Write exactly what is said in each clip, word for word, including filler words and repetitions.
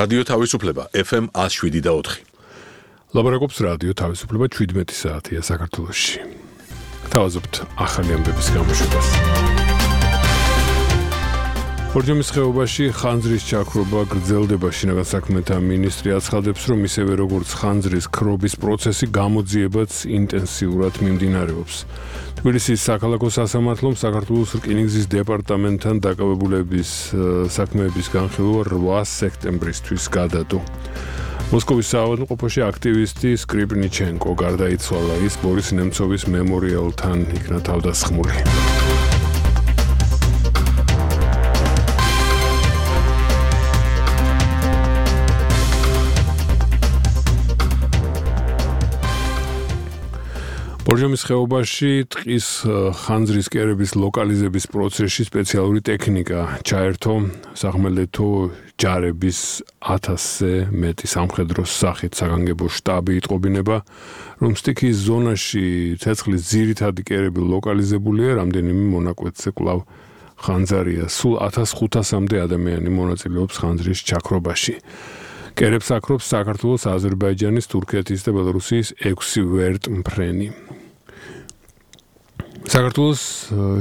რადიო თავისუფლება ეფ ემ one oh seven და four. ლაბორატორიის რადიო თავისუფლება seventeen საათია საქართველოში. თავაზობთ ახალი ამბების გამოშვებას. ბორჯომის ხეობაში ხანძრის ჩაქრობა გრძელდება. შინაგან საქმეთა მინისტრი აცხადებს, რომ ისევე როგორც ხანძრის ქრობის პროცესი გამოძიებაც ინტენსიურად მიმდინარეობს. თბილისის საქალაქო სასამართლომ საქართველოს რკინიგზის დეპარტამენტთან დაკავებულების საქმეების განხილვა eight სექტემბრისთვის გადადო. მოსკოვის საავადმყოფოში აქტივისტი სკრიპნიჩენკო გარდაიცვალა. ის ბორის ნემცოვის მემორიალთან იქნა თავდასხმული. ბორჯომის ხეობაში ტყის ხანძრის კერების ლოკალიზების პროცესში სპეციალური ტექნიკა ჩაერთო სახმელეთო ჯარების ათასზე მეტი სამხედრო სახით საგანგებო შტაბი იტყობინება, რომ სტიქის ზონაში ცეცხლის ძირითადი კერები ლოკალიზებულია, რამდენიმე მონაკვეთზე კვლავ ხანძარია. სულ ათას ხუთასამდე ადამიანი მონაწილეობს ხანძრის ჩაქრობაში. კერებს აკრობს საქართველოს, აზერბაიჯანის, თურქეთის და ბელორუსიის ექვსი ვერტმფრენი. საქართველოს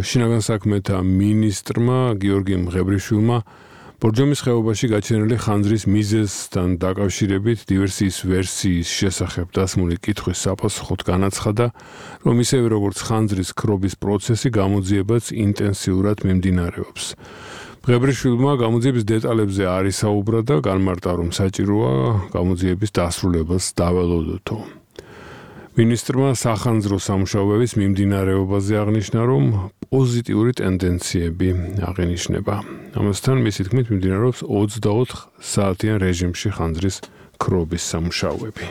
შინაგან საქმეთა მინისტრმა გიორგი მღებრიშვილმა ბორჯომის ხეობაში გაჩენილი ხანძრის მიზეზთან დაკავშირებით დივერსიის ვერსიის შესახებ დასმული კითხვის საპასუხოდ განაცხადა, რომ ისევე როგორც ხანძრის ქრობის პროცესი გამოძიებაც ინტენსიურად მიმდინარეობს. მღებრიშვილმა გამოძიების დეტალებზე არ ისაუბრა და განმარტა, რომ საჭიროა გამოძიების დასრულებას დაველოდოთო. მინისტრმა სახანძრო სამუშაოების მიმდინარეობაზე აღნიშნა, რომ პოზიტიური ტენდენციები აღინიშნება. ამასთან მისი თქმით მიმდინარეობს ოცდაოთხ საათიან რეჟიმში ხანძრის ქრობის სამუშაოები.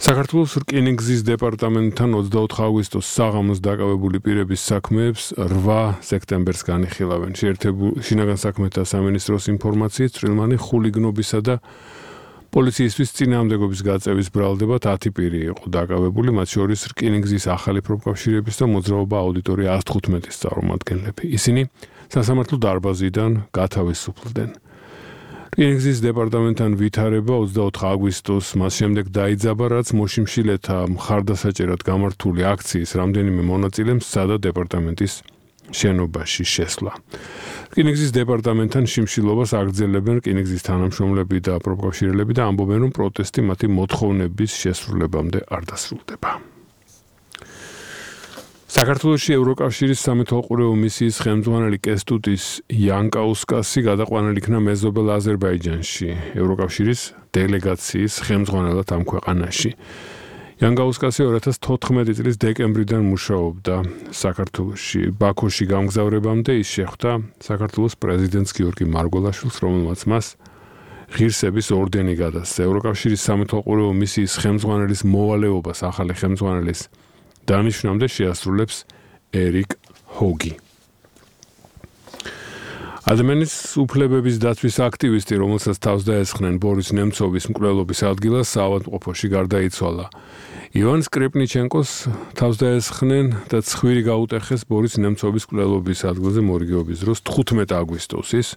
საქართველოს რკინიგზის დეპარტამენტთან ოცდაოთხ აგვისტოს საღამოს დაკავებული პირების საქმეებს eight სექტემბერს განიხილავენ. შინაგან საქმეთა სამინისტროს ინფორმაციით წვრილმანი ხულიგნობისა და პოლიციისთვის წინააღმდეგობის გაწევის ბრალდებად ათი პირი იყო დაკავებული, მათ შორის რკინიგზის ახალი პროფკავშირების და მოძრაობა აუდიტორია one fifteen-ის წარმომადგენლები. ისინი სასამართლო დარბაზიდან გათავისუფლდნენ. რკინიგზის დეპარტამენტთან ვითარება ოცდაოთხ აგვისტოს მას შემდეგ დაიძაბა, რაც მოშიმშილეთა მხარდასაჭერად გამართული აქციის რამდენიმე მონაწილემ სცადა დეპარტამენტის შენობაში შესვლა. რკინიგზის დეპარტამენტთან შიმშილობას აგრძელებენ რკინიგზის თანამშრომლები და პროფკავშირელები და ამბობენ, რომ პროტესტი მათი მოთხოვნების შესრულებამდე არ დასრულდება. საქართველოში ევროკავშირის სამეთვალყურეო მისიის ხელმძღვანელი კესტუტის იანკაუსკასი გადაყვანილ იქნა მეზობელ აზერბაიჯანში, ევროკავშირის დელეგაციის ხელმძღვანელად ამ ქვეყანაში. იანკაუსკასი two thousand fourteen წლის დეკემბრიდან მუშაობდა საქართველოში. ბაქოში გამგზავრებამდე ის შეხვდა საქართველოს პრეზიდენტს გიორგი მარგველაშვილს, რომელმაც მას ღირსების ორდენი გადასცა. ევროკავშირის სამეთვალყურეო მისიის ხელმძღვანელის მოვალეობას ახალი ხელმძღვანელის დანიშვნამდე შეასრულებს ერიკ ჰოგი. ადამიანის უფლებების დაცვის აქტივისტი, რომელსაც თავს დაესხნენ ბორის ნემცოვის მკვლელობის ადგილას, საავადმყოფოში გარდაიცვალა. ივან სკრიპნიჩენკოს თავს დაესხნენ და ცხვირი გაუტეხეს ბორის ნემცოვის მკვლელობის ადგილზე მორიგეობის დროს თხუთმეტ აგვისტოს, ის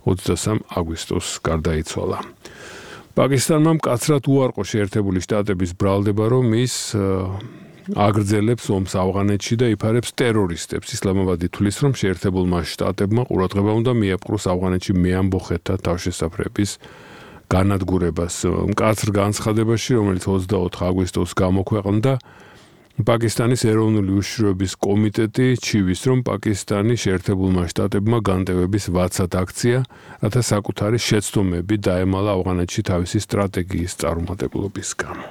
ოცდასამ აგვისტოს გარდაიცვალა. პაკისტანმა მკაცრად უარყო შეერთებული შტატების ბრალდება, რომ ის აგრძელებს ომს ავღანეთში და იფარებს ტერორისტებს. ისლამაბადი თვლის, რომ შეერთებულმა შტატებმა ყურადღება უნდა მიაპყროს ავღანეთში მეამბოხეთთა თავშესაფრების განადგურებას. მკაცრ განცხადებაში, რომელიც ოცდაოთხ აგვისტოს გამოქვეყნდა, პაკისტანის ეროვნული უშიშროების კომიტეტი ჩივის, რომ პაკისტანი შეერთებულმა შტატებმა განტევების ვაცად აქცია, რათა საკუთარი შეცდომები დაემალა ავღანეთში თავისი სტრატეგიის წარუმატებლობის გამო.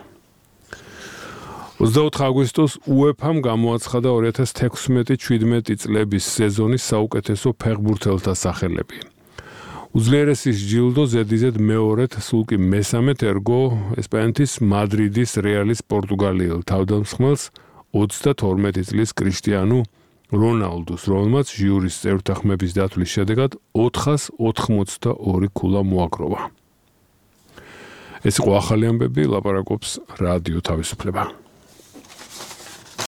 ოცდაოთხ აგვისტოს უეფამ გამოაცხადა two thousand sixteen seventeen წლების სეზონის საუკეთესო ფეხბურთელთა სახელები. უძლიერესის ჯილდო ზედიზედ მეორედ, სულ კი მესამედ ერგო ესპანეთის მადრიდის რეალის პორტუგალიელ თავდამსხმელს ოცდათორმეტი წლის კრიშტიანუ რონალდუს, რომელმაც ჟიურის წევრთა ხმების დათვლის შედეგად ოთხას ოთხმოცდაორი ქულა მოაგროვა. ეს იყო ახალი ამბები, ლაპარაკობს რადიო თავისუფლება.